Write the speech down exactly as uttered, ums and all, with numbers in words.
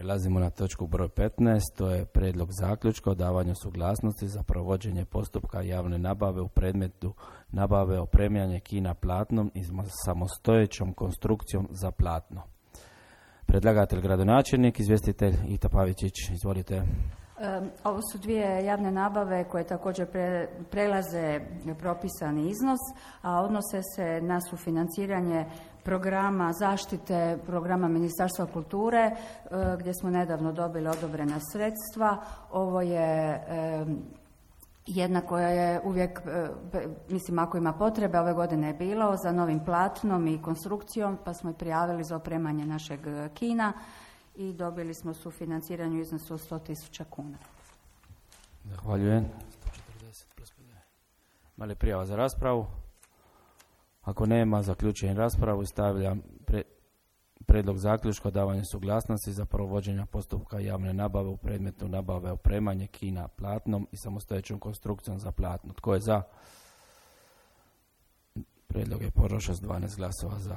Prelazimo na točku broj petnaest, to je prijedlog zaključka o davanju suglasnosti za provođenje postupka javne nabave u predmetu nabave opremanje kina platnom i samostojećom konstrukcijom za platno. Predlagatelj gradonačelnik, izvjestitelj Ita Pavičić, izvolite. Ovo su dvije javne nabave koje također pre, prelaze propisani iznos, a odnose se na sufinanciranje programa zaštite, programa Ministarstva kulture, gdje smo nedavno dobili odobrena sredstva. Ovo je jedna koja je uvijek, mislim ako ima potrebe, ove godine je bilo za novim platnom i konstrukcijom, pa smo i prijavili za opremanje našeg kina i dobili smo sufinanciranje u iznosu od sto tisuća kuna. Zahvaljujem. Ima li prijava za raspravu? Ako nema, zaključujem raspravu i stavljam pre, predlog zaključka o davanju suglasnosti za provođenje postupka javne nabave u predmetu nabave opremanje kina platnom i samostojećom konstrukcijom za platno. Tko je za? Predlog je prošao s dvanaest glasova za.